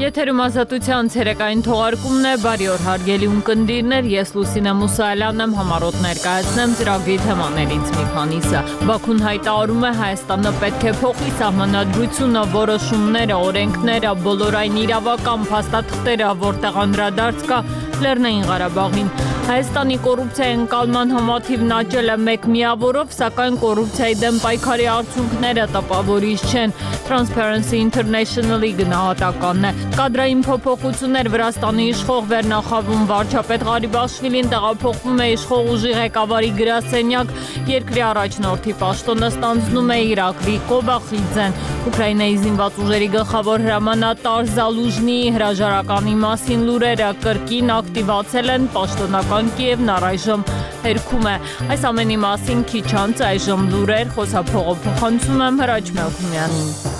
Եթերում ազատության ցերեկային թողարկումն է, բարի օր հարգելի ունկնդիրներ, ես Լուսինե Մուսայելյանն եմ, համառոտ ներկայացնեմ ծրագրի թեմաներից մի քանիսը։ Բաքուն հայտարարում է Հայաստանը պետք է փոխի սահմանադրությունը, որոշումները, օրենքները, բոլորային իրավական փաստաթղթերը, որտեղ անդրադարձ կա Լեռնային Ղարաբաղին։ Հայաստանի կոռուպցիայի ընկալման համաթիվն աճել է 1 միավորով, սակայն կոռուպցիայի դեմ պայքարի արդյունքները տպավորիչ չեն։ Transparency International-ի գնահատականն է։ Կադրային փոփոխություններ Վրաստանի իշխող վերնախավում վարչապետ Ղարիբաշվիլին տեղափոխվում է իշխող ուժի ղեկավարի գրասենյակ, երկրի առաջնորդի պաշտոնը ստանձնում է Իրաքի Կոբախիձեն։ Ուկրաինայի զինված ուժերի գլխավոր հրամանատար Զալուժնիի հրաժարականի մասին լուրերը կրկին ակտիվացել են պաշտոնական Կիևն առայժմ հերքում է։ Այս ամենի մասին քիչ անց այժմ լուրեր, խոսափողով փոխանցում եմ Հրաչ Մելքումյանին։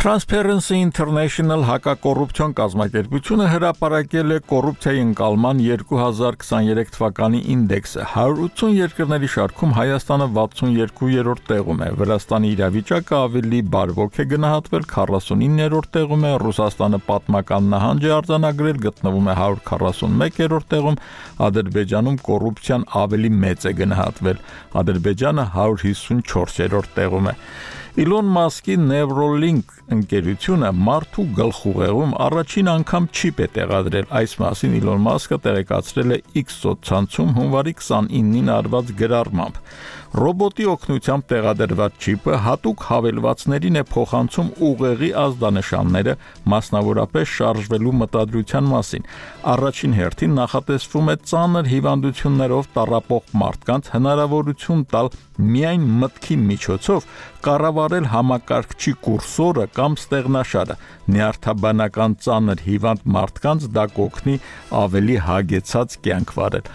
Transparency International հակակոռուպցիոն կազմակերպությունը հրապարակել է կոռուպցիայի ընկալման 2023 թվականի ինդեքսը։ 180 երկրների շարքում Հայաստանը 62-րդ տեղում է, Վրաստանի իրավիճակը ավելի բարվոք է գնահատվել, 49-րդ տեղում է, Ռուսաստանը պատմական նահանջ է արձանագրել, գտնվում է 141-րդ տեղում, Ադրբեջանում կոռուպցիան ավելի մեծ է գնահատվել, Ադրբեջանը 154-րդ տեղում է։ Իլոն Մասկի Neuralink ընկերությունը մարդու գլխուղեղում առաջին անգամ չիպ է տեղադրել։ Այս մասին Իլոն Մասկը տեղեկացրել է X սոցցանցում հունվարի 29-ին արված գրառմամբ։ Ռոբոտի օգնությամբ տեղադրված չիպը հատուկ հավելվածներին է փոխանցում ուղեղի ազդանշանները, մասնավորապես շարժվելու մտադրության մասին։ Առաջին հերթին նախատեսվում է ծանր հիվանդություններով տառապող մարդկանց հնարավորություն տալ միայն մտքի միջոցով կառավարել համակարգչի կուրսորը կամ ստեղնաշարը։ Նյարդաբանական ծանր հիվանդ մարդկանց դա կօգնի ավելի հագեցած կյանք վարել։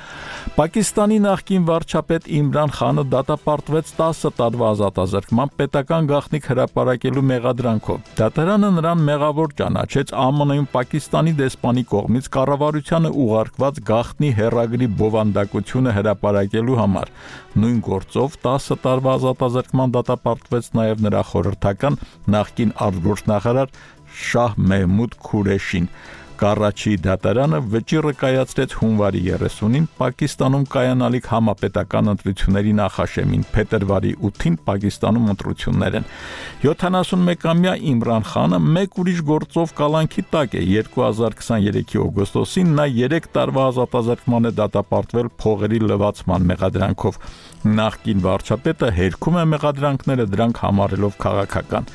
Պակիստանի նախկին վարչապետ Իմրան Խանը դատապարտվեց 10 տարվա ազատազրկման պետական գաղտնիք հրապարակելու մեղադրանքով։ Դատարանը նրան մեղավոր ճանաչեց ԱՄՆ-ում Պակիստանի դեսպանի կողմից կառավարությանը ուղարկված գաղտնի հեռագրի բովանդակությունը հրապարակելու համար։ Նույն գործով 10 տարվա ազատազրկման դատապարտվեց նաև նրա խորհրդական նախկին արտգործնախարար Շահ Մեհմուդ Քուրեշին։ Կարաչի դատարանը վճիռը կայացրեց հունվարի 30-ին Պակիստանում կայանալիք համապետական ընտրությունների նախաշեմին, փետրվարի 8-ին Պակիստանում ընտրություններ են։ 71-ամյա Իմրան Խանը մեկ ուրիշ գործով կալանքի տակ է։ 2023-ի օգոստոսին նա 3 տարվա ազատազրկման է դատապարտվել փողերի լվացման մեղադրանքով։ Նախկին վարչապետը հերքում է մեղադրանքները, դրանք համարելով քաղաքական։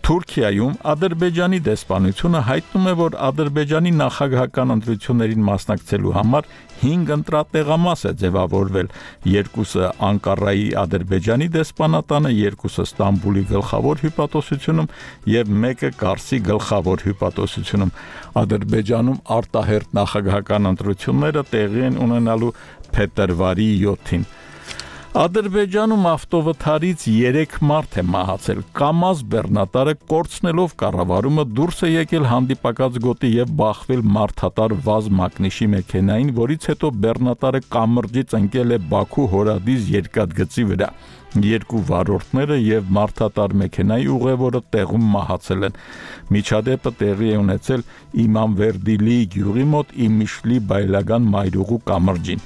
Թուրքիայում Ադրբեջանի դեսպանությունը հայտնում է, որ Ադրբեջանի նախագահական ընտրություններին մասնակցելու համար 5 ընտրատեղամաս է ձևավորվել։ 2-ը Անկարայի Ադրբեջանի դեսպանատանը, 2-ը Ստամբուլի գլխավոր հյուպատոսությունում եւ 1-ը Կարսի գլխավոր հյուպատոսությունում։ Ադրբեջանում արտահերթ նախագահական ընտրությունները տեղի են ունենալու փետրվարի 7-ին։ Ադրբեջանում ավտովթարից 3 մարդ է մահացել։ Կամազ բեռնատարը կորցնելով կառավարումը դուրս է եկել հանդիպակաց գոտի եւ բախվել մարդատար վազ մակնիշի մեքենային, որից հետո բեռնատարը կամրջից ընկել է Բաքու Հորադիզ երկաթգծի վրա։ 2 վարորդները եւ մարդատար մեքենայի ուղևորը տեղում մահացել են։ Միջադեպը տեղի է ունեցել Իմամվերդիլի գյուղի մոտ Իմիշլի բայլագան մայրուղու կամրջին։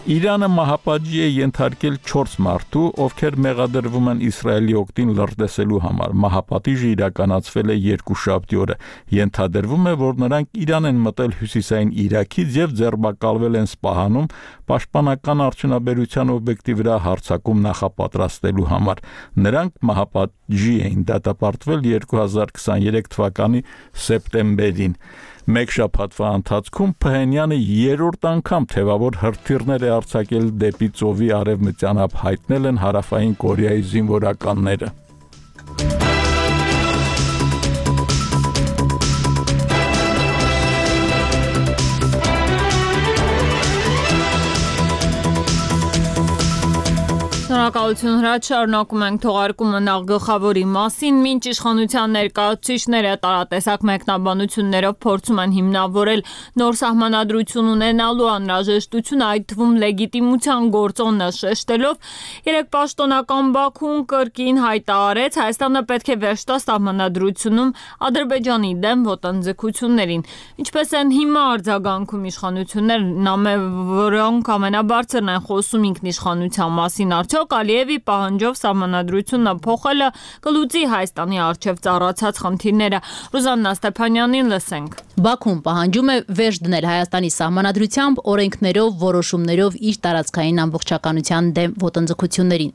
Իրանը մահապատժի է ենթարկել 4 մարդու, ովքեր մեղադրվում են Իսրայելի օգտին լրտեսելու համար։ Մահապատիժը իրականացվել է երկուշաբթի օրը։ Ենթադրվում է, որ նրանք Իրան են մտել հյուսիսային Իրաքից եւ ձերբակալվել են Սպահանում պաշտպանական արդյունաբերության օբյեկտի վրա հարձակում նախապատրաստելու համար։ Նրանք մահապատժի էին դատապարտվել 2023 թվականի սեպտեմբերին։ Մեկ շաբաթվա ընթացքում Փհենյանը 3-րդ անգամ թևավոր հրթիռներ է արձակել դեպի ծովի արևմտյան ափ, հայտնել են Հարավային Կորեայի զինվորականները։ Շնորհակալություն Հրաչ, շարունակում ենք թողարկումը նախ գլխավորի մասին, մինչ իշխանության ներկայացուցիչները տարատեսակ մեկնաբանություններով փորձում են հիմնավորել նոր սահմանադրություն ունենալու անհրաժեշտությունը, այդ թվում լեգիտիմության գործոնը շեշտելով, երեք պաշտոնական Բաքուն կրկին հայտարարեց, Հայաստանը պետք է վերջ տա սահմանադրությունում Ադրբեջանի դեմ ոտնձգություններին։ Ինչպես են հիմա արձագանքում իշխանությունները, որոնք ամենաբարձրն են խոսում ինքնիշխանության մասին, արդյոք Ալիևի պահանջով սահմանադրությունը փոխելը կլուծի Հայաստանի առջև ծառացած խնդիրները։ Ռուզաննա Ստեփանյանին լսենք։ Բաքուն պահանջում է վերջ դնել Հայաստանի սահմանադրությամբ, օրենքներով, որոշումներով իր տարածքային ամբողջականության դեմ ոտնձգություններին։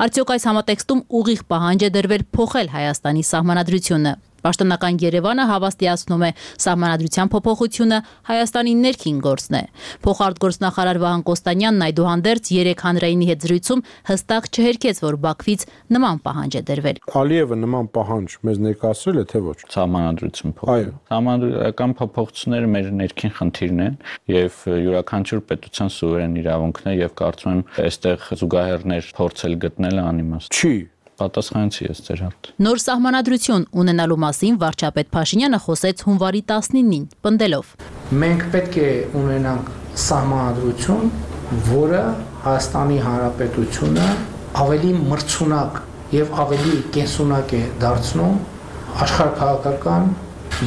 Արդյոք այս համատեքստում ուղիղ պահանջ է դրվել փոխել Հայաստանի սահմանադրությունը։ Պաշտոնական Երևանը հավաստիացնում է սահմանադրության փոփոխությունը Հայաստանի ներքին գործն է։ Փոխարտգործնախարար Վահան Կոստանյանն այդուհանդերձ երեք հանրայինի հետ զրույցում հստակ չհերքեց, որ Բաքվից նման պահանջ է դրվել։ Ալիևը նման պահանջ մեզ ներկայացրել է, թե ոչ։ Սահմանադրություն փոխել։ Սահմանադրական փոփոխությունները մեր ներքին խնդիրն են եւ յուրաքանչյուր պետության սուվերեն իրավունքն է եւ կարծում եմ այստեղ զուգահեռներ փորձել գտնելը անիմաստ չի։ Պատասխանեցի ես ձեր հարցը։ Նոր սահմանադրություն ունենալու մասին վարչապետ Փաշինյանը խոսեց հունվարի 19-ին, պնդելով. Մենք պետք է ունենանք սահմանադրություն, որը Հայաստանի Հանրապետությունը ավելի մրցունակ եւ ավելի կենսունակ է դարձնում աշխարհաքաղաքական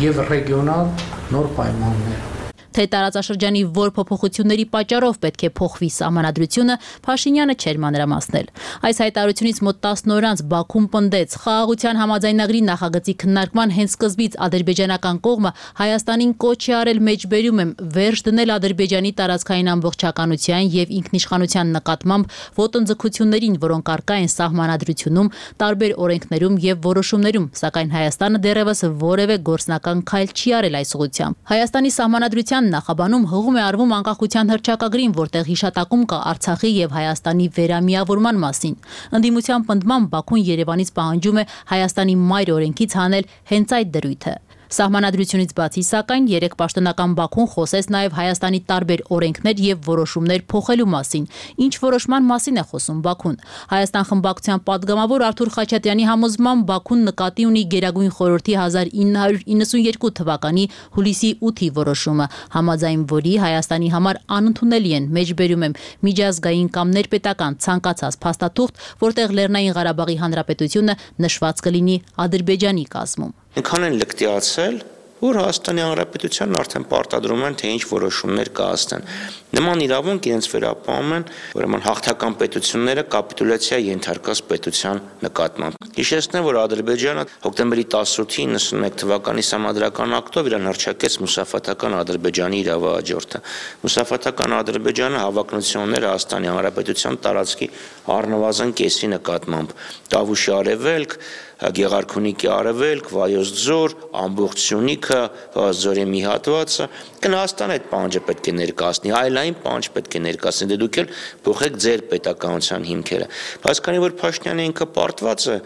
եւ ռեգիոնալ նոր պայմաններում։ Թե տարածաշրջանի որ փոփոխությունների պատճառով պետք է փոխվի սահմանադրությունը, Փաշինյանը չէր մանրամասնել։ Այս հայտարարությունից մոտ 10 օր անց Բաքուն պնդեց, խաղաղության համաձայնագրի նախագծի քննարկման հենց սկզբից ադրբեջանական կողմը Հայաստանին կոչ է արել մեջբերում եմ վերջ դնել Ադրբեջանի տարածքային ամբողջականության եւ ինքնիշխանության նկատմամբ ոտնձգություններին, որոնք առկա են սահմանադրությունում, տարբեր օրենքներում եւ որոշումներում, սակայն Հայաստանը դեռևս որևէ գործնական քայլ չի արել այս ուղղությամբ։ Հայաստանի սահմանադրության նախաբանում հղում է արվում անկախության հռչակագրին, որտեղ հիշատակում կա Արցախի եւ Հայաստանի վերամիավորման մասին։ Ընդդիմության պնդմամբ Բաքուն Երևանից պահանջում է Հայաստանի մայր օրենքից հանել հենց այդ դրույթը։ Սահմանադրությունից բացի, սակայն, երեք պաշտոնական Բաքուն խոսեց նաև Հայաստանի տարբեր օրենքներ եւ որոշումներ փոխելու մասին։ Ինչ որոշման մասին է խոսում Բաքուն։ Հայաստան խմբակցության падգամավոր Արթուր Խաչատրյանի համոզմամբ Բաքուն նկատի ունի Գերագույն խորհրդի 1992 թվականի հուլիսի 8-ի որոշումը, համաձայն որի Հայաստանի համար անընդունելի են մեջբերում եմ միջազգային կամ ներպետական ցանկացած փաստաթուղթ, որտեղ Լեռնային Ղարաբաղի Հանրապետությունը նշված կլինի Ադրբեջանի կազմում։ Այնքան են լկտիացել, որ Հայաստանի Հանրապետությանն արդեն պարտադրում են, թե ինչ որոշումներ կայացնեն։ Նման իրավունք իրենց վերապահում են, ուրեմն հաղթական պետությունները կապիտուլյացիա ենթարկած պետության նկատմամբ։ Հիշեցնեմ, որ Ադրբեջանը հոկտեմբերի 18-ի 91 թվականի սահմանադրական ակտով իրան հռչակեց մուսաֆաթական Ադրբեջանի իրավահաջորդը։ Մուսաֆաթական Ադրբեջանը հավակնություն ուներ Հայաստանի Հանրապետության տարածքի առնվազն կեսի նկատմամբ։ Տավուշի արևելք, Գեղարքունիքի արևելք, Վայոց ձոր, ամբողջ Սյունիքը, Ձորի մի հատվածը, Հայաստան այդ պահանջը պետք է ներկայացնի, այլային պահանջ պետք է ներկայացնի, դե դուք էլ փոխեք ձեր պետականության հիմքերը։ Բայց քանի որ Փաշինյանը ինքը պարտված է,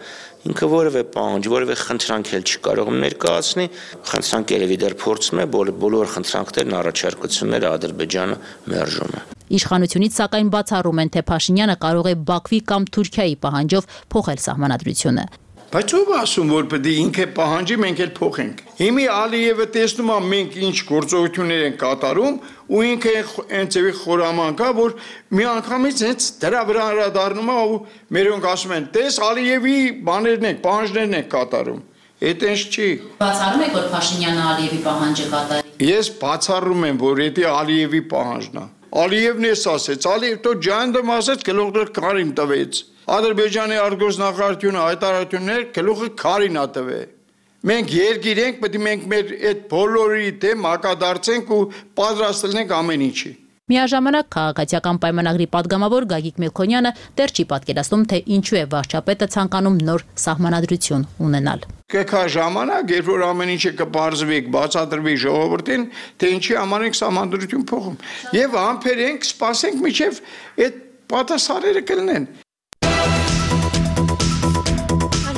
ինքը որևէ պահանջ, որևէ խնդրանք էլ չի կարող ներկայացնի, խնդրանք երևի դեռ փորձում է, բոլոր խնդրանքներն առաջարկությունները Ադրբեջանը մերժում է։ Իշխանությունից սակայն բացառում են, թե Փաշինյանը կարող է Բաքվի կամ Թուրքիայի պահանջով փոխել սահմանադրությունը։ Բայց ով ասում, որ պետք է ինքը պահանջի, մենք էլ փոխենք։ Հիմի Ալիևը տեսնում է մենք ինչ գործողություններ են կատարում, ու ինքը այնցեւի խորաման կա, որ մի անգամից հենց դրա վրա հրադառնում է ու մերոնք ասում են, տես Ալիևի բաներն են, պահանջներն են կատարում։ Այդ ինչ չի։ Բացառում եք, որ Փաշինյանը Ալիևի պահանջը կատարի։ Ես բացառում եմ, որ դա Ալիևի պահանջն է։ Ալիևն էս ասեց, Ալիև դու ջանդում ասեց, գլուխը քարին տվեց։ Ադրբեջանի արտգործնախարարությունը հայտարարություններ գլուխը քարին ա տվել։ Մենք երկիր ենք, պետք է մենք մեր այդ բոլորի դեմ հակադարձենք ու պատրաստենք ամեն ինչի։ Միաժամանակ քաղաքացիական պայմանագրի падգամավոր Գագիկ Մելքոնյանը դեռ չի պատկերացնում, թե ինչու է վարչապետը ցանկանում նոր սահմանադրություն ունենալ։ Կգա ժամանակ, երբ որ ամեն ինչը կբարձվի, բացատրվի ժողովրդին, թե ինչի համար ենք սահմանադրություն փոխում։ Եվ համբերենք, սպասենք, մինչև այդ պատասխանները կլինեն։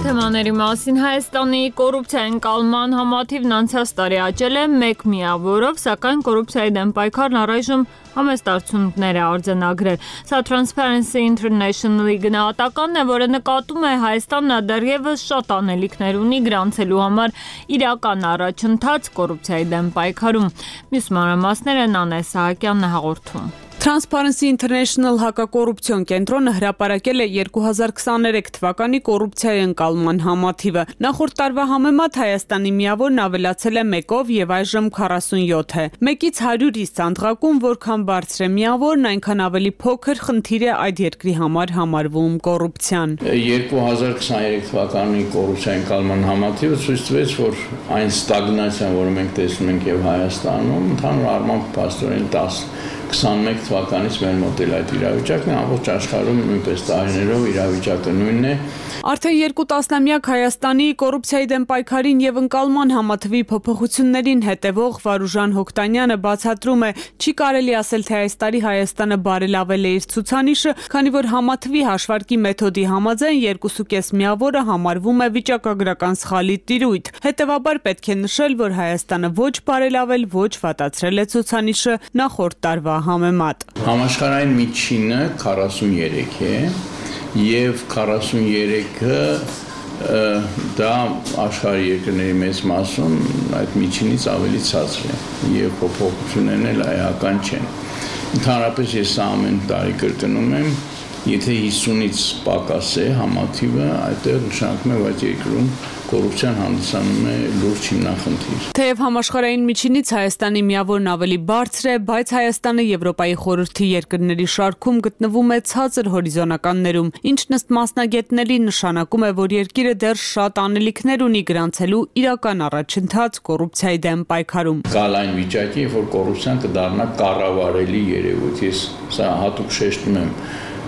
Թեմաների մասին Հայաստանի կոռուպցիայի ընկալման համաթիվն անցած տարի աճել է 1 միավորով, սակայն կոռուպցիայի դեմ պայքարն առայժմ համեստ արդյունքներ է արձանագրել։ Սա Transparency International-ի գնահատականն է, որը նկատում է Հայաստանն դեռևս շատ անելիքներ ունի գրանցելու համար իրական առաջընթաց կոռուպցիայի դեմ պայքարում։ Մյուս մանրամասները Նանե Սահակյանն է հաղորդում։ Transparency International հակակոռուպցիոն կենտրոնը հրապարակել է 2023 թվականի կոռուպցիայի ընկալման համաթիվը։ Նախորդ տարվա համեմատ Հայաստանի միավորն ավելացել է 1-ով եւ այժմ 47 է։ 1-ից 100-ից ցանկակում, որքան բարձր է միավորն, այնքան ավելի փոքր խնդիր է այդ երկրի համար համարվում կոռուպցիան։ 2023 թվականի կոռուպցիայի ընկալման համաթիվը ցույց տվեց, որ այն ստագնացիան, որը մենք տեսնում ենք եւ Հայաստանում, ընդհանուր առմամբ փաստորեն 21 թվականից մեր մոտ էլ այդ իրավիճակն է, ամբողջ աշխարհում նույնպես տարիներով իրավիճակը նույնն է։ Արդեն 2 տասնամյակ Հայաստանի կոռուպցիայի դեմ պայքարին եւ ընկալման համաթվի փոփոխություններին հետևող Վարուժան Հոկտանյանը բացատրում է, չի կարելի ասել, թե այս տարի Հայաստանը բարելավել է իր ցուցանիշը, քանի որ համաթվի հաշվարկի մեթոդի համաձայն 2.5 միավորը համարվում է վիճակագրական սխալի տիրույթ։ Հետևաբար պետք է նշել, որ Հայաստանը ոչ բարելավել, ոչ վատացրել է ցուցանիշը նախորդ տարվա համեմատ։ Համաշխարհային միջինը 43 է եւ 43-ը դա աշխարհի երկրների մեծ մասում այդ միջինից ավելի ցածր է եւ փոփոխություններն էլ այական չեն։ Ընդհանրապես ես ամեն տարի կրկնում եմ, եթե 50-ից պակաս է համաթիվը, այդտեղ նշանակում է, որ այդ երկրում կոռուպցիան հանդիսանում է լուրջ հիմնախնդիր։ Թեև համաշխարհային միջինից Հայաստանի միավորն ավելի բարձր է, բայց Հայաստանը Եվրոպայի խորհրդի երկրների շարքում գտնվում է ցածր հորիզոնականներում, ինչն ըստ մասնագետների նշանակում է, որ երկիրը դեռ շատ անելիքներ ունի գրանցելու իրական առաջընթաց կոռուպցիայի դեմ պայքարում։ Գալ այն վիճակի, որ կոռուպցիան կդառնա կառավարելի երևույթ։ Ես սա հատուկ շեշտում եմ,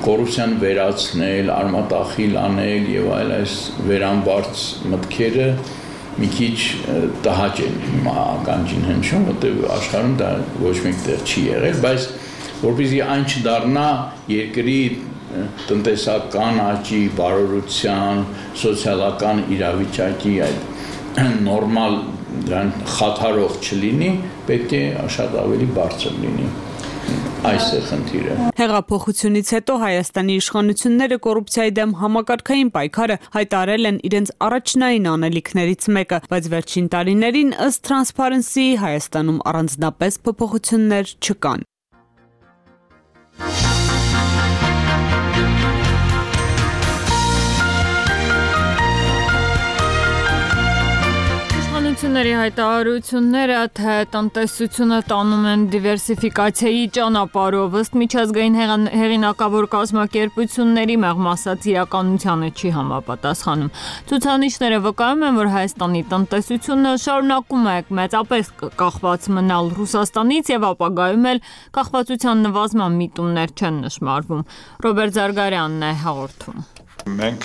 կոռուպցիան վերացնել, արմատախիլ անել եւ այլ այս վերամբարձ մտքերը մի քիչ տհաճ են ականջին հնչում, որտեղ աշխարհում դա ոչ մեկտեղ չի եղել, բայց որպեսզի այն չդառնա երկրի տնտեսական աճի, բարօրության, սոցիալական իրավիճակի այդ նորմալ դրան խաթարող չլինի, պետք է շատ ավելի բարձր լինի։ Այս է խնդիրը։ Հեղափոխությունից հետո Հայաստանի իշխանությունները կոռուպցիայի դեմ համակարգային պայքարը հայտարարել են իրենց առաջնային անելիքներից մեկը, բայց վերջին տարիներին ըստ Transparency Հայաստանում առանձնապես փոփոխություններ չկան։ Իշխանությունների հայտարարությունները, թե տնտեսությունը տանում են դիվերսիֆիկացիայի ճանապարհով, ըստ միջազգային հեղինակավոր կազմակերպությունների մեղմ ասած իրականությանը չի համապատասխանում։ Ցուցանիշները վկայում են, որ Հայաստանի տնտեսությունը շարունակում է մեծապես կախված մնալ Ռուսաստանից եւ ապագայում էլ կախվածության նվազման միտումներ չեն նշմարվում։ Ռոբերտ Զարգարյանն է հաղորդում։ Մենք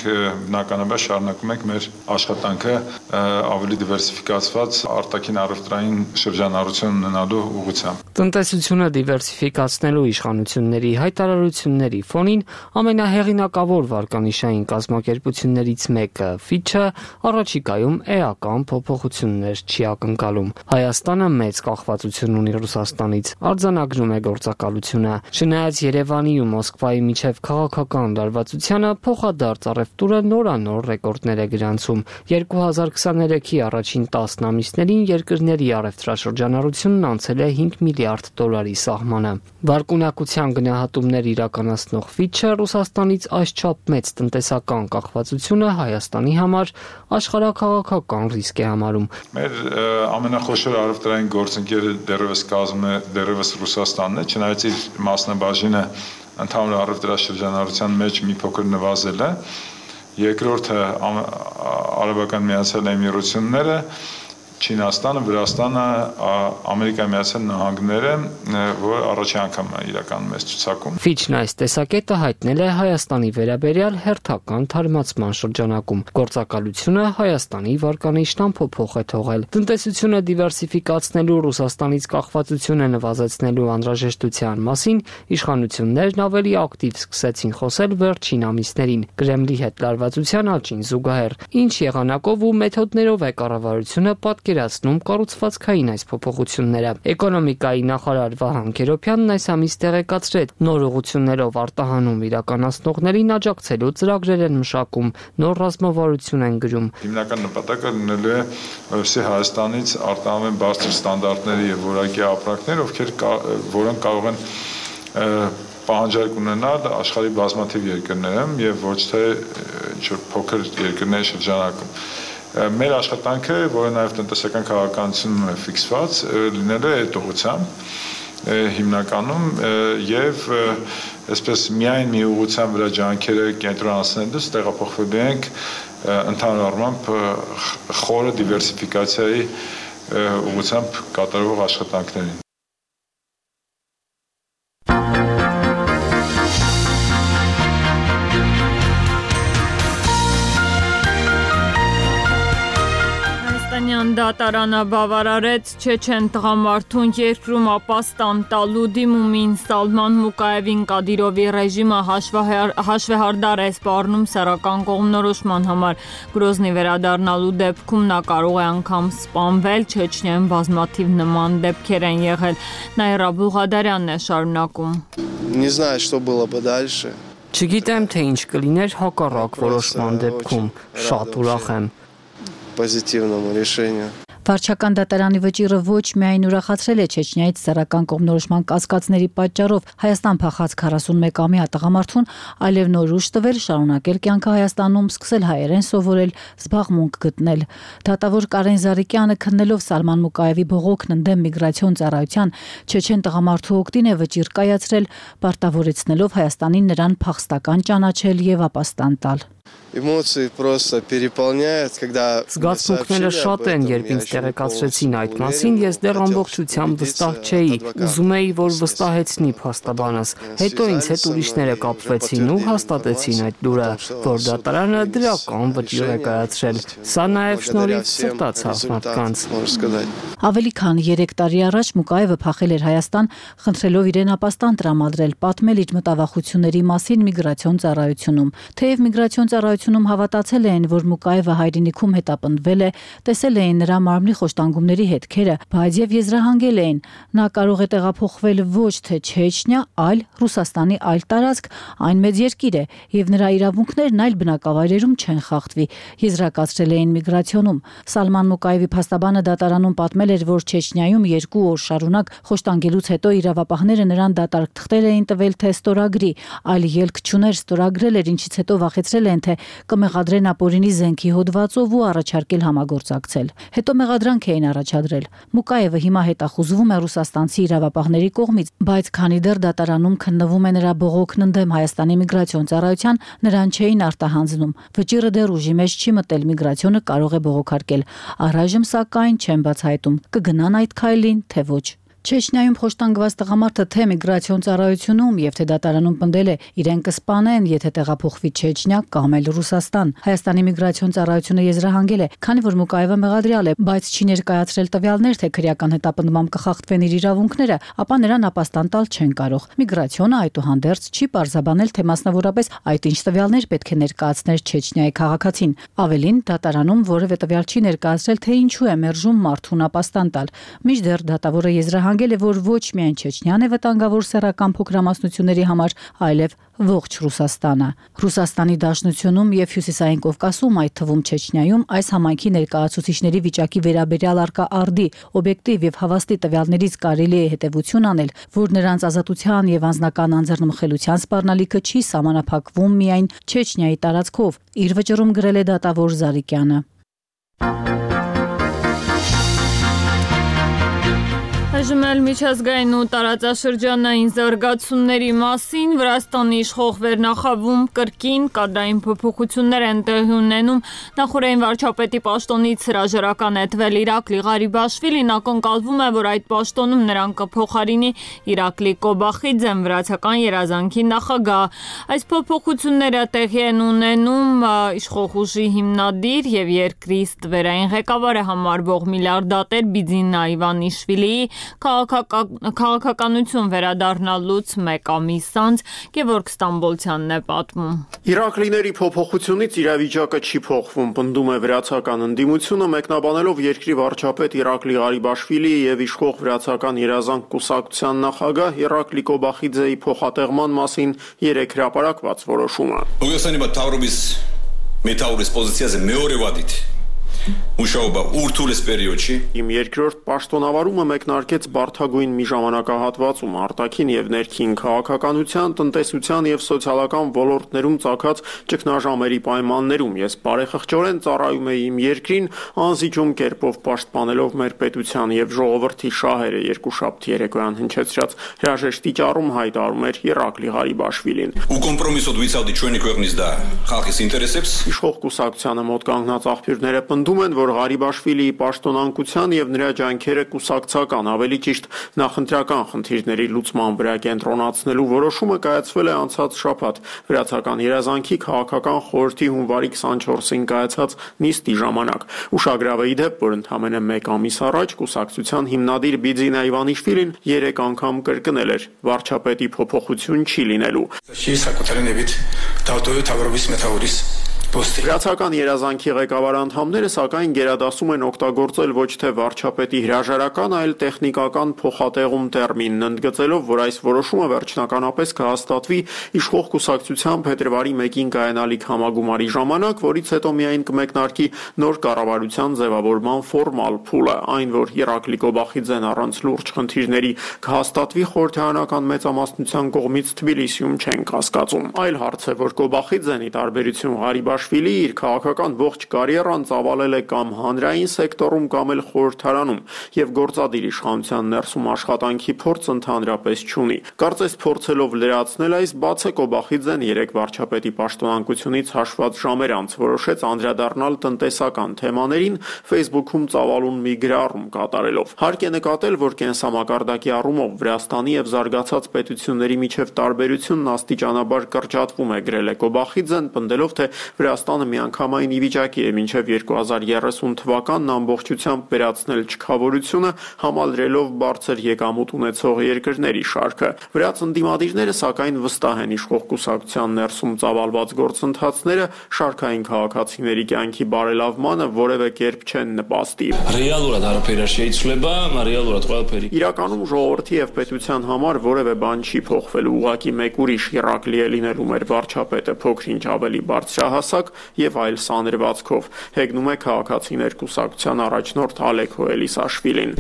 բնականաբար շարունակում ենք մեր աշխատանքը ավելի դիվերսիֆիկացված արտաքին առևտրային շրջանառություն ունենալու ուղղությամբ։ Տնտեսությունը դիվերսիֆիկացնելու իշխանությունների հայտարարությունների ֆոնին ամենահեղինակավոր վարկանիշային կազմակերպություններից մեկը Fitch-ը առաջիկայում էական փոփոխություններ չի ակնկալում։ Հայաստանը մեծ կախվածություն ունի Ռուսաստանից, արձանագրում է գործակալությունը։ Չնայած Երևանի ու Մոսկվայի միջև քաղաքական լարվածությանը փոխադարձ առևտուրը նորանոր ռեկորդներ է գրանցում։ 2023-ի առաջին 10 ամիսներին երկրների առևտրաշրջանառությունն անցել է 5 միլիարդ դոլարի սահմանը։ Բարկունակության գնահատումներ իրականացնող Fitch-ը Ռուսաստանից այսչափ մեծ տնտեսական կախվածությունը Հայաստանի համար աշխարհաքաղաքական ռիսկ է համարում։ Մեր ամենախոշոր առևտրային գործընկերը դեռևս կազմում է դեռևս Ռուսաստանն է, չնայած իր մասնաբաժինը ընդհանուր առևտրաշրջանառության մեջ մի փոքր նվազել է։ Երկրորդը Արաբական Միացյալ Էմիրությունները Չինաստանը, Վրաստանը, Ամերիկայի Միացյալ Նահանգները, որ առաջին անգամ իրականում է ցուցակում։ Ֆիչն այս տեսակետը հայտնել է Հայաստանի վերաբերյալ հերթական թարմացման շրջանակում։ Գործակալությունը Հայաստանի վարկանիշն ամփոփող է թողել։ Տնտեսությունը դիվերսիֆիկացնելու Ռուսաստանից կախվածությունը նվազեցնելու անհրաժեշտության մասին իշխանություններն ավելի ակտիվ սկսեցին խոսել վերջին ամիսներին։ Կրեմլի հետ լարվածության աճին զուգահեռ, ինչ եղանակով ու մեթոդներով է կառավարությունը պատկերացնում կառուցվածքային այս փոփոխությունները։ Էկոնոմիկայի նախարար Վահան Գերոբյանն այս ամիս տեղեկացրեց, նոր ուղղություններով արտահանում իրականացնողներին աջակցելու ծրագրեր են մշակում, նոր ռազմավարություն են գրում։ Հիմնական նպատակը լինելու է, որովհետեւ Հայաստանից արտահանեն բարձր ստանդարտների եւ որակի ապրանքներ, որոնք կարող են պահանջարկ ունենալ աշխարհի բազմաթիվ երկրներում եւ ոչ թե ինչ-որ փոքր երկրների շրջանակում։ Մեր աշխատանքը, որը նաեւ տնտեսական քաղաքականությունում է ֆիքսված, լինելու է այդ ուղղությամբ հիմնականում եւ այսպես միայն մի ուղղության վրա ջանքերը կենտրոնացնելուց տեղափոխվելու ենք ընդհանուր առմամբ խորը դիվերսիֆիկացիայի ուղղությամբ կատարվող աշխատանքներին։ Դատարանը բավարարեց Չեչեն տղամարդուն երկրում ապաստան տալու դիմումին Սալման Մուկաևին Կադիրովի ռեժիմը հաշվեհարդար է սպառնում սեռական կողմնորոշման համար։ Գրոզնի վերադառնալու դեպքում նա կարող է անգամ սպանվել, Չեչնիայում բազմաթիվ նման դեպքեր են եղել։ Նաիրա Բուղադարյանն է շարունակում։ Не знаю, что было бы дальше. Չգիտեմ, թե ինչ կլիներ հակառակ որոշման դեպքում։ Շատ ուրախ եմ։ Позитивному решению. Վարչական դատարանի վճիռը ոչ միայն ուրախացրել է Չեչնիայից սեռական կողմնորոշման կասկածների պատճառով Հայաստան փախած 41-ամյա տղամարդուն, այլև նոր ուժ տվել շարունակել կյանքը Հայաստանում, սկսել հայերեն սովորել, զբաղմունք գտնել։ Դատավոր Կարեն Զարիկյանը քննելով Սալման Մուկաևի բողոքն ընդդեմ միգրացիոն ծառայության Չեչեն տղամարդու օգտին է վճիռ կայացրել, պարտավորեցնելով Հայաստանին նրան փախստական ճանաչել եւ ապաստան տալ։ Эмоции просто переполняют, когда Զգացմունքները շատ են, երբ ինձ տեղեկացրեցին այդ մասին, ես դեռ ամբողջությամբ վստահ չէի, ուզում էի, որ վստահեցնի փաստաբանս։ Հետո ինձ հետ ուրիշները կապվեցին ու հաստատեցին այդ լուրը, որ դատարանը դրական վճիռ է կայացրել։ Սա նաև շնորհիվ սրտացավ մարդկանց։ Ավելի քան 3 տարի առաջ Մուկաևը փախել էր Հայաստան, խնդրելով իրեն ապաստան տրամադրել, պատմել իր մտավախությունների մասին միգրացիոն ծառայությունում։ Թեև միգրացիոն ծառայությունում հավատացել էին, որ Մուկաևը հայրենիքում հետապնդվել է, տեսել էին նրա մարմնի խոշտանգումների հետքերը, բայց եւ եզրահանգել էին, նա կարող է տեղափոխվել ոչ թե Չեչնիա, այլ Ռուսաստանի այլ տարածք, այն մեծ երկիր է, եւ նրա իրավունքներն այլ բնակավայրերում չեն խախտվի, եզրակացրել էին միգրացիոնում։ Սալման Մուկաևի փաստաբանը դատարանում պատմել էր, որ Չեչնիայում 2 օր շարունակ խոշտանգելուց հետո իրավապահները նրան դատարկ թղթեր էին տվել, թե ստորագրի, այլ ելք չուներ, ստորագրել էր, ինչից հետո վախեցրել են, թե կմեղադրեն ապօրինի զենքի հոդվածով ու առաջարկել համագործակցել։ Հետո մեղադրանք էին առաջադրել։ Մուկաևը հիմա հետախուզվում է ռուսաստանցի իրավապահների կողմից, բայց քանի դեռ դատարանում քննվում է նրա բողոքն ընդդեմ Հայաստանի միգրացիոն ծառայության, նրան չէին արտահանձնում։ Վճիռը դեռ ուժի մեջ չի մտել, միգրացիոնը կարող է բողոքարկել։ Առայժմ սակայն չեն բացահայտում, կգնան այդ քայլին, թե ոչ։ Չեչնիայում խոշտանգված տղամարդը թե միգրացիոն ծառայությունում եւ թե դատարանում պնդել է, իրեն կսպանեն, եթե տեղափոխվի Չեչնիա կամ էլ Ռուսաստան։ Հայաստանի միգրացիոն ծառայությունը եզրահանգել է, քանի որ Մուկաևը մեղադրյալ է, բայց չի ներկայացրել տվյալներ, թե քրեական հետապնդմամբ կխախտվեն իր իրավունքները, ապա նրան ապաստան տալ չեն կարող։ Միգրացիոնը այդուհանդերձ չի պարզաբանել, թե մասնավորապես այդ ինչ տվյալներ պետք է ներկայացներ Չեչնիայի քաղաքացին։ Ավելին, դատարանում որևէ տվյալ չի ներկայացրել, թե ինչու է մերժում մարդուն ապաստան տալ։ Մինչդեռ դատավորը եզրահանգել է, որ ոչ միայն Չեչնիան է վտանգավոր սեռական փոքրամասնությունների համար, այլև ողջ Ռուսաստանը։ Ռուսաստանի Դաշնությունում եւ Հյուսիսային Կովկասում, այդ թվում Չեչնիայում, այս համայնքի ներկայացուցիչների վիճակի վերաբերյալ արկա արդի, օբյեկտիվ եւ հավաստի տվյալներից կարելի է հետեւություն անել, որ նրանց ազատության եւ անձնական անձեռնմխելիության սպառնալիքը չի սահմանափակվում միայն Չեչնիայի տարածքով, իր վճռում գրել է դատավոր Զարիկյանը։ Այժմ էլ միջազգային ու տարածաշրջանային զարգացումների մասին Վրաստանի իշխող վերնախավում կրկին կադրային փոփոխություններ են տեղի ունենում։ Նախորդին վարչապետի պաշտոնից հրաժարական է տվել Իրակլի Ղարիբաշվիլին, ակնկալվում է, որ այդ պաշտոնում նրան կփոխարինի Իրակլի Կոբախիձեն, վրացական երազանքի նախագահ։ Այս փոփոխությունները տեղի են ունենում իշխող ուժի հիմնադիր եւ երկրի ստվերային ղեկավարը համարվող միլիարդատեր Բիձինա Իվանիշվիլիի քաղաքականություն վերադառնալուց մեկ ամիս անց Գևորգ Ստամբոլցյանն է պատմում։ Իրակլիների փոփոխությունից իրավիճակը չի փոխվում, պնդում է վրացական ընդդիմությունը, մեկնաբանելով երկրի վարչապետ Իրակլի Ղարիբաշվիլիի եւ իշխող վրացական երազանք կուսակցության նախագահ Իրակլի Կոբախիձեի փոխատեղման մասին երեք հրապարակված որոշումը։ Իմ երկրորդ պաշտոնավարումը մեկնարկեց բարդագույն մի ժամանակահատվածում արտաքին եւ ներքին քաղաքականության, տնտեսության եւ սոցիալական ոլորտներում ծագած ճգնաժամերի պայմաններում ես բարեխղճորեն ծառայում էի իմ երկրին, անզիջում կերպով պաշտպանելով մեր պետության եւ ժողովրդի շահերը, երկուշաբթի երեկոյան հնչեցրած հրաժեշտի ճառում հայտարարում էր Իրակլի Ղարիբաշվիլին։ Իշխող կուսակցությանը մոտ կանգնած աղբյուրները պնդում են, որ Ղարիբաշվիլիի պաշտոնանկության եւ նրա ջանքերը կուսակցական, ավելի ճիշտ նախընտրական խնդիրների լուծման վրա կենտրոնացնելու որոշումը կայացվել է անցած շաբաթ վրացական երազանքի քաղաքական խորհրդի հունվարի 24-ին կայացած նիստի ժամանակ։ Ուշագրավ է ի դեպ, որ ընդամենը մեկ ամիս առաջ կուսակցության հիմնադիր Բիձինա Իվանիշվիլին 3 անգամ կրկնել էր վարչապետի փոփոխություն չի լինելու։ Վրացական երազանքի ղեկավար անդամները սակայն գերադասում են օգտագործել ոչ թե վարչապետի հրաժարական, այլ տեխնիկական փոխատեղում տերմինն, ընդգծելով, որ այս որոշումը վերջնականապես կհաստատվի իշխող կուսակցության փետրվարի 1-ին կայանալիք համագումարի ժամանակ, որից հետո միայն կմեկնարկի նոր կառավարության ձևավորման ֆորմալ փուլը, այն որ Իրակլի Կոբախիձեն առանց լուրջ խնդիրների կհաստատվի խորհրդարանական մեծամասնության կողմից Թբիլիսիում չեն կասկածում։ Այլ հարց է, որ Կոբախիձենի տարբերություն Ղարիբաշվիլի իր քաղաքական ողջ կարիերան ծավալել է կամ հանրային սեկտորում կամ էլ խորհրդարանում եւ գործադիր իշխանության ներսում աշխատանքի փորձ ընդհանրապես չունի։ Կարծես փորձելով լրացնել այս բացը Կոբախիձեն երեք վարչապետի պաշտոնանկությունից հաշված ժամեր անց որոշեց անդրադառնալ տնտեսական թեմաներին Facebook-ում ծավալուն մի գրառում կատարելով։ Հարկ է նկատել, որ կենսամակարդակի առումով Վրաստանի եւ զարգացած պետությունների միջև տարբերությունն աստիճանաբար կրճատվում է, գրել է Կոբախիձեն, պնդելով, թե Վրաստանը միանգամայն ի վիճակի է մինչև 2030 թվականն ամբողջությամբ վերացնել չքավորությունը, համալրելով բարձր եկամուտ ունեցող երկրների շարքը։ Վրաց ընդդիմադիրները սակայն վստահ են իշխող կուսակցության ներսում ծավալված գործընթացները շարքային քաղաքացիների կյանքի բարելավմանը որևէ կերպ չեն նպաստի։ Իրականում ժողովրդի եւ պետության համար որևէ բան չի փոխվելու, ուղղակի մեկ ուրիշ Իրակլի է լինելու մեր վարչապետը փոքրինչ ավելի բարձրահասակ եւ այլ սանրվածքով, հեգնում է քաղաքացիներ կուսակցության առաջնորդ Ալեքո Էլիսաշվիլին։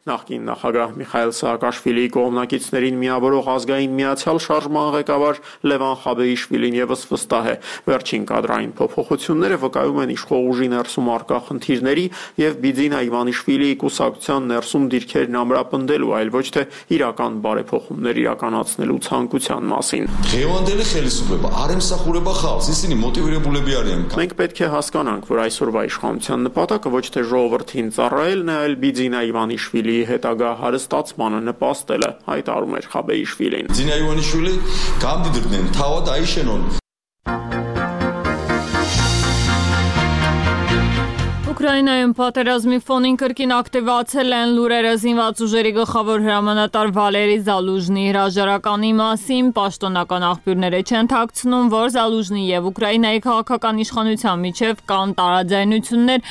Նախկին նախագահ Միխայել Սաակաշվիլիի կողմնակիցներին միավորող ազգային միացյալ շարժման ղեկավար Լևան Խաբեիշվիլին եւս վստահ է, վերջին կադրային փոփոխությունները վկայում են իշխող ուժի ներսում առկա խնդիրների եւ Բիձինա Իվանիշվիլիի կուսակցության ներսում դիրքերն ամրապնդելու, այլ ոչ թե իրական բարեփոխումներ իրականացնելու ցանկության մասին։ Մենք պետք է հասկանանք, որ այսօրվա իշխանության նպատակը ոչ թե ժողովրդին ծառայելն է, այլ Բիձինա Իվանիշվիլիի հետագա հարստացմանը նպաստելը, հայտարարում էր Խաբեիշվիլին։ Ուկրաինայում պատերազմի ֆոնին կրկին ակտիվացել են լուրերը զինված ուժերի գլխավոր հրամանատար Վալերի Զալուժնի հրաժարականի մասին։ Պաշտոնական աղբյուրները չեն թաքցնում, որ Զալուժնի եւ Ուկրաինայի քաղաքական իշխանության միջև կան տարաձայնություններ։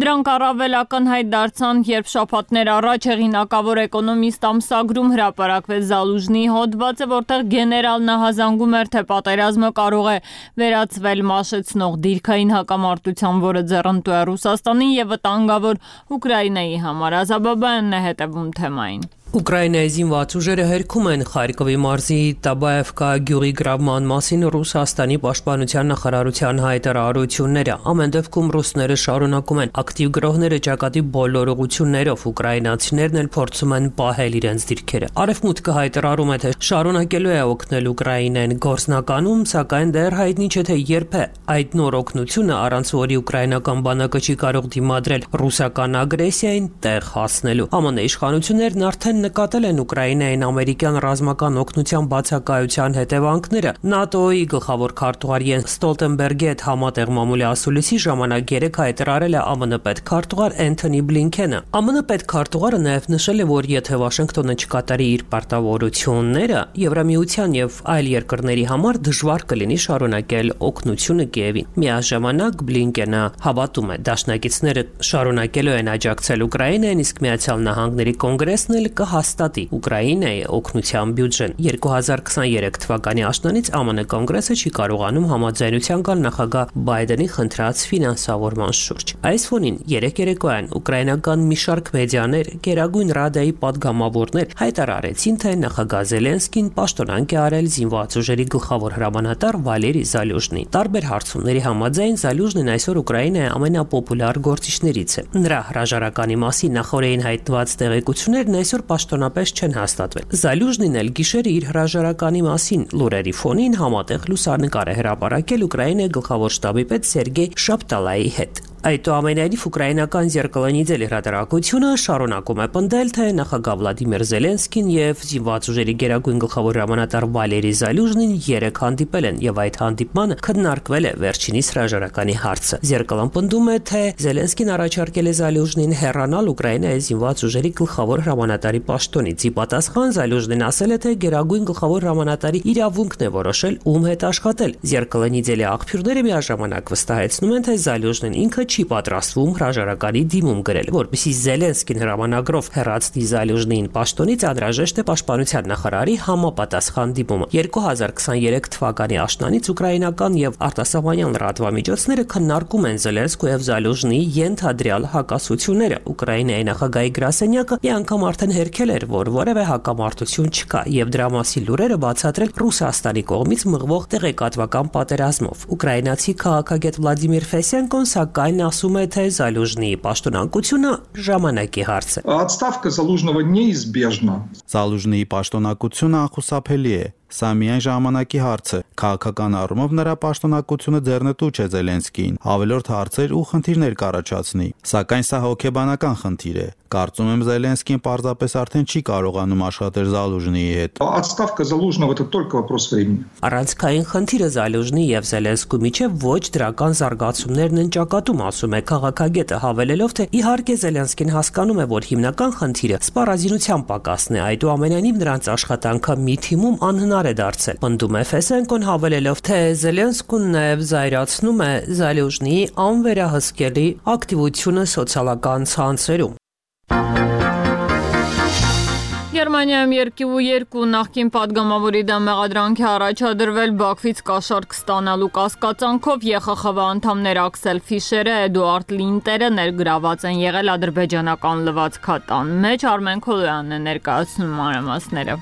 Դրանք առավել ակնհայտ դարձան, երբ շաբաթներ առաջ հեղինակավոր էկոնոմիստ ամսագրում հրապարակվեց Զալուժնի հոդվածը, որտեղ գեներալն հազանգում էր, թե պատերազմը կարող է վերածվել մաշեցնող դիրքային հակամարտության, որը ձեռնտու է Ռուսաստանին եւ վտանգավոր Ուկրաինայի համար։ Ազաբաբյանն է հետևում թեմային։ Ուկրաինայի զինված ուժերը հերքում են Խարկովի մարզի Տաբաևկա գյուղի գրավման մասին Ռուսաստանի պաշտպանության նախարարության հայտարարությունները։ Ամեն դեպքում ռուսները շարունակում են ակտիվ գրոհները ճակատի բոլոր ուղղություններով, ուկրաինացիներն էլ փորձում են պահել իրենց դիրքերը։ Արևմուտքը հայտարարում է, թե շարունակելու է օգնել Ուկրաինային գործնականում, սակայն դեռ հայտնի չէ, թե երբ է այդ նոր օգնությունը, առանց որի ուկրաինական բանակը չի կարող դիմադրել ռուսական ագրեսիային, տեղ հասնելու։ ԱՄՆ իշխանություններն արդեն նկատել են Ուկրաինային ամերիկյան ռազմական օգնության բացակայության հետևանքները։ ՆԱՏՕ-ի գլխավոր քարտուղար Յենս Ստոլտենբերգի հետ համատեղ մամուլի ասուլիսի ժամանակ երեկ հայտարարել է ԱՄՆ պետքարտուղար Էնթոնի Բլինքենը։ ԱՄՆ պետքարտուղարը նաև նշել է, որ եթե Վաշինգտոնը չկատարի իր պարտավորությունները, Եվրամիության եւ այլ երկրների համար դժվար կլինի շարունակել օգնությունը Կիևին։ Միաժամանակ Բլինքենը հավատում է, դաշնակիցները շարունակելու են աջակցել Ուկրաինային, իսկ Միացյալ Նահանգների կոնգրեսն էլ կհաստատի Ուկրաինայի օգնության բյուջեն։ 2023 թվականի աշնանից ԱՄՆ կոնգրեսը չի կարողանում համաձայնության գալ նախագահ Բայդենի խնդրած ֆինանսավորման շուրջ։ Այս ֆոնին երեկ երեկոյան ուկրաինական մի շարք մեդիաներ, Գերագույն Ռադայի պատգամավորներ հայտարարեցին, թե նախագահ Զելենսկին պաշտոնանկ է արել զինված ուժերի գլխավոր հրամանատար Վալերի Զալյուժնի։ Տարբեր հարցումների համաձայն Զալյուժնին այսօր Ուկրաինայի ամենապոպուլար գործիչներից է։ Նրա հրաժարականի մասին նախորդին հայտնված տեղեկություններն այսօր պաշտոնապես չեն հաստատվել։ Զալյուժնին էլ գիշերը իր հրաժարականի մասին լուրերի ֆոնին համատեղ լուսանկար է հրապարակել Ուկրաինայի գլխավոր շտաբի պետ Սերգեյ Շապտալայի հետ։ Այդուամենայնիվ ուկրաինական Զերկալանիձել հրատարակությունը շարունակում է պնդել, թե նախագահ Վլադիմիր Զելենսկին եւ զինված ուժերի գերագույն գլխավոր հրամանատար Վալերի Զալյուժնին երեք հանդիպել են եւ այդ հանդիպմանը քննարկվել է վերջինիս հրաժարականի հարցը։ Զերկալան պնդում է, թե Զելենսկին առաջարկել է Զալյուժնին հեռանալ Ուկրաինայի զինված ուժերի գլխավոր հրամանատարի պաշտոնից։ Ի պատասխան Զալյուժնին ասել է, թե գերագույն գլխավոր հրամանատարի իրավունքն է որոշել ում հետ աշխատել։ Զերկալանիձելի աղբյուրները միաժամանակ վստահեցնում են, թե Զալյուժնին ինքը չի պատրաստվում հրաժարականի դիմում գրել, որպեսզի Զելենսկին հրամանագրով հեռացնի Զալյուժնին պաշտոնից, անհրաժեշտ է պաշտպանության նախարարի համապատասխան դիմումը։ 2023 թվականի աշնանից ուկրաինական եւ արտասահմանյան լրատվամիջոցները քննարկում են Զելենսկու եւ Զալյուժնի ենթադրյալ հակասությունները։ Ուկրաինայի նախագահի գրասենյակը մի անգամ արդեն հերքել էր, որ որևէ հակամարտություն չկա եւ դրա մասին լուրերը բացատրել Ռուսաստանի կողմից մղվող տեղեկատվական պատերազմով։ Ուկրաինացի քաղաքագետ Վլադիմիր Ֆեսենկոն սակայն ասում է, թե Զալյուժնի պաշտոնակությունը ժամանակի հարց է։ Отставка Залужного неизбежна. Զալյուժնիի պաշտոնակությունը անխուսափելի է։ Սա միայն ժամանակի հարց է։ Քաղաքական առումով նրա պաշտոնակությունը ձեռնտու չէ Զելենսկիին, ավելորդ հարցեր ու խնդիրներ կառաջացնի։ Սակայն սա հոգեբանական խնդիր է։ Կարծում եմ Զելենսկին պարզապես արդեն չի կարողանում աշխատել Զալյուժնիի հետ։ Отставка Залужного это только вопрос времени. Առանցքային խնդիրը Զալյուժնի եւ Զելենսկու միջև ոչ դրական զարգացումներն են ճակատում, ասում է քաղաքագետը, հավելելով, թե իհարկե Զելենսկին հասկանում է, որ հիմնական խնդիրը սպառազինության պակասն է, այդուամենայնիվ նրանց աշխատանքը մի թիմում անհնար է դարձել։ Պնդում է Ֆեսենկոն, հավելելով, թե Զելենսկուն նաև զայրացնում է Զալյուժնիի անվերահսկելի ակտիվությունը սոցիալական ցանցերում։ Գերմանիայում 2 նախկին падգամավորի դեմ մեղադրանք է առաջադրվել Բաքվից կաշառք ստանալու կասկածանքով ԵԽԽՎ անդամներ Աքսել Ֆիշերը, Էդուարդ Լինտերը ներգրաված են եղել ադրբեջանական լվացքատան մեջ։ Արմեն Քոլոյանն է ներկայացնում մանրամասները։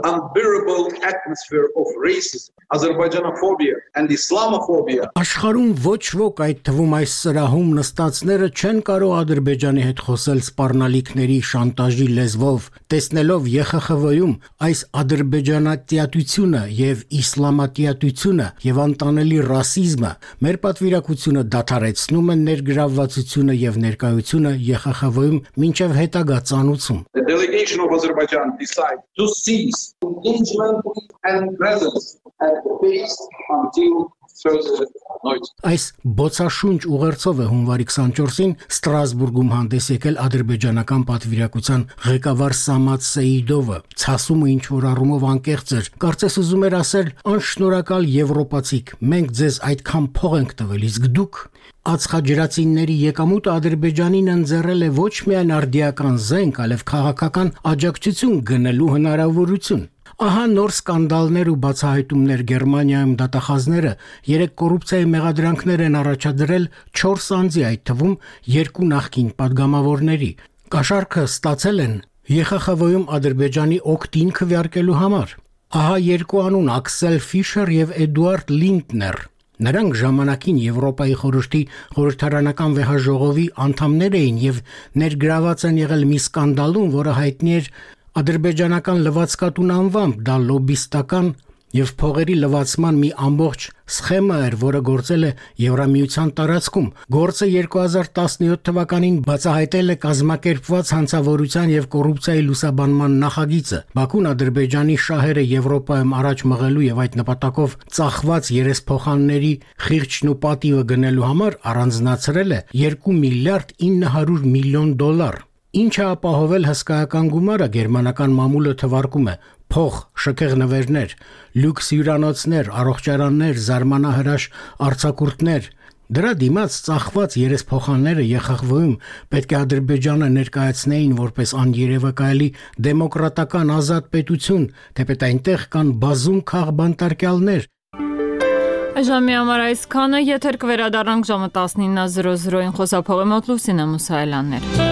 Unbearable atmosphere of racism, Azerbaijanophobia and Islamophobia. Աշխարհում ոչ ոք, այդ թվում այս սրահում նստածները չեն կարող Ադրբեջանի հետ խոսել սպառնալիքների շանտաժի լեզվով, տեսնելով ԵԽԽՎ-ում այս ադրբեջանատյատությունը եւ իսլամատյատությունը եւ անտանելի ռասիզմը, մեր պատվիրակությունը դադարեցնում են ներգրավվածությունը եւ ներկայությունը ԵԽԽՎ-ում մինչեւ հետագա ծանուցում։ The delegation of Azerbaijan decided to cease engagement and presence at the base until further notice. Այս բոցաշունչ ուղերձով է հունվարի 24-ին Ստրասբուրգում հանդես եկել ադրբեջանական պատվիրակության ղեկավար Սամատ Սեիդովը։ Ցասումը ինչ որ առումով անկեղծ էր։ Կարծես ուզում էր ասել. «Անշնորհակալ եվրոպացիք, մենք ձեզ այդքան փող ենք տվել, իսկ դուք...» Ածխաջրածինների եկամուտը Ադրբեջանին ընձեռել է ոչ միայն արդիական զենք, այլև քաղաքական աջակցություն գնելու հնարավորություն։ Ահա նոր սկանդալներ ու բացահայտումներ Գերմանիայում դատախազները 3 կոռուպցիայի մեղադրանքներ են առաջադրել 4 անձի, այդ թվում 2 նախկին падգամավորների։ Կաշառքը ստացել են ԵԽԽՎ-ում Ադրբեջանի օգտին քվեարկելու համար։ Ահա երկու անուն՝ Աքսել Ֆիշեր եւ Էդուարդ Լինտներ։ Նրանք ժամանակին Եվրոպայի խորհրդի խորհրդարանական վեհաժողովի անդամներ էին եւ ներգրաված են եղել մի սկանդալում, որը հայտնի էր ադրբեջանական լվացկատուն անվամբ, դա լոբիստական եւ փողերի լվացման մի ամբողջ սխեմա էր, որը գործել է Եվրամիության տարածքում։ Գործը 2017 թվականին բացահայտել է կազմակերպված հանցավորության եւ կոռուպցիայի լուսաբանման նախագիծը։ Բաքուն Ադրբեջանի շահերը Եվրոպայում առաջ մղելու եւ այդ նպատակով ծախված երեսփոխանների խիղճն ու պատիվը գնելու համար առանձնացրել է 2 միլիարդ 900 միլիոն դոլար։ Ինչը ապահովել հսկայական գումարը գերմանական մամուլը թվարկում է փող, շքեղ նվերներ, լյուքս հյուրանոցներ, առողջարաններ, զարմանահրաշ արձակուրդներ։ Դրա դիմաց ծախված երեսփոխանները ԵԽԽՎ-ում պետք է Ադրբեջանը ներկայացնեին որպես աներևակայելի դեմոկրատական ազատ պետություն, թեպետ այնտեղ կան բազում քաղբանտարկյալներ։ Ժամի համար այսքանը, եթեր կվերադառնանք ժամը 19:00-ին խոսափողի մոտ Լուսինե Մուսայելյաններ։